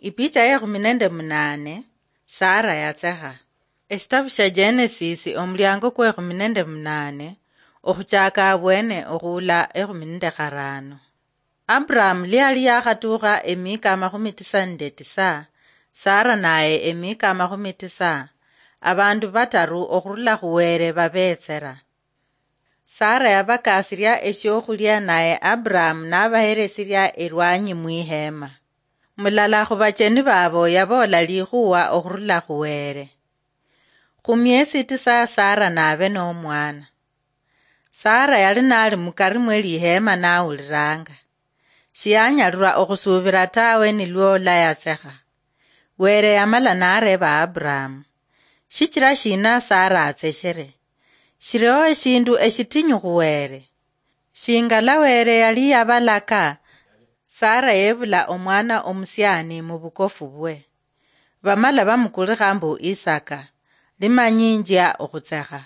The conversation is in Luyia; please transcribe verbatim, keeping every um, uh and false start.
Ipicha yekhumi nende munane. Sara yatsekha. Eshitabu sha Genesis, omuliango kwekhumi nende munane, okhuchaka abwene okhuula ekhumi nende kharano. Abraham liali yakhatukha emika amakhumi tisa nende tisa, Sara naye emika amakhumi tisa, abandu bataru okhurula khuwere babetsera. Sara yabakasiria eshiokhulia, naye Abraham nabaheresiria elwanyi mwiheema. Mulala khubacheni babo yaboola likhuwa okhurula khuwere. Khumiesi tisa Sara nabe nomwana. Sara yali nali mukari mwe liheema nawuliranga. Shiyanyalirwa okhusubira tawe nilwo layatsekha. Were yamala nareba Abraham, "Shichira shina Sara atseshere? Shiriho eshindu eshitinyu khuwere?" Shingala Were yali yabalaka, Sara yebula omwana omusiani mubukofu bwe. Bamala bamukulikha mbu Isaka, limanyinjia okhutsekha.